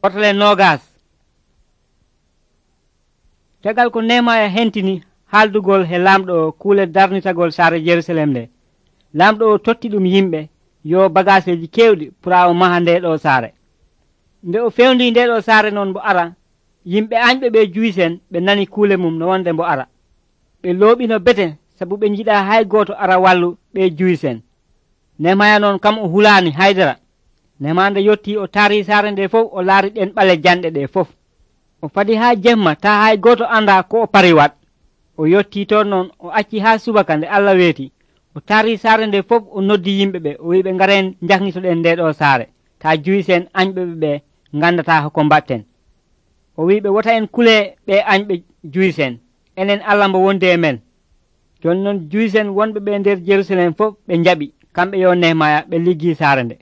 Portale nogas. Tegal ko Nehemaya hentini haaldugol he lamɗo kuule darnitagol saare Jerusalem nde. Lamɗo o totti ɗum yimɓe yo bagaseji kewɗi pura o maha nde ɗo saare. Nde o fewndi nde ɗo saare noon mbo ara, yimɓe añɓe ɓe juyisen ɓe nani kuule mum no wonde mbo ara. Ɓe looɓino bete sabu ɓe jiɗa hay gooto ara wallu ɓe juyisen. Nehemaya noon kam o hulaani haydara. Nehemaya nde yotti o taari saare nde fof o laari ɗen ɓale janɗe ɗe fof. O fadi haa jemma taa hay gooto anda ko o pari wat. O yotti toon noon o acci haa subaka nde Allah weeti. O taari saare nde fof o noddi yimɓe ɓe o wi ɓe ngaren jahnitoɗen nde ɗo saare taa juyisen añɓe ɓe ngandata hoko mbatten. O wi ɓe wota en kule ɓe añɓe juyisen enen Allah mbo wondi e men. Jooni noon juyisen wonɓe ɓe nder Jerusalem fof ɓe njaɓi kamɓe yo Nehemaya ɓe liggi saare nde.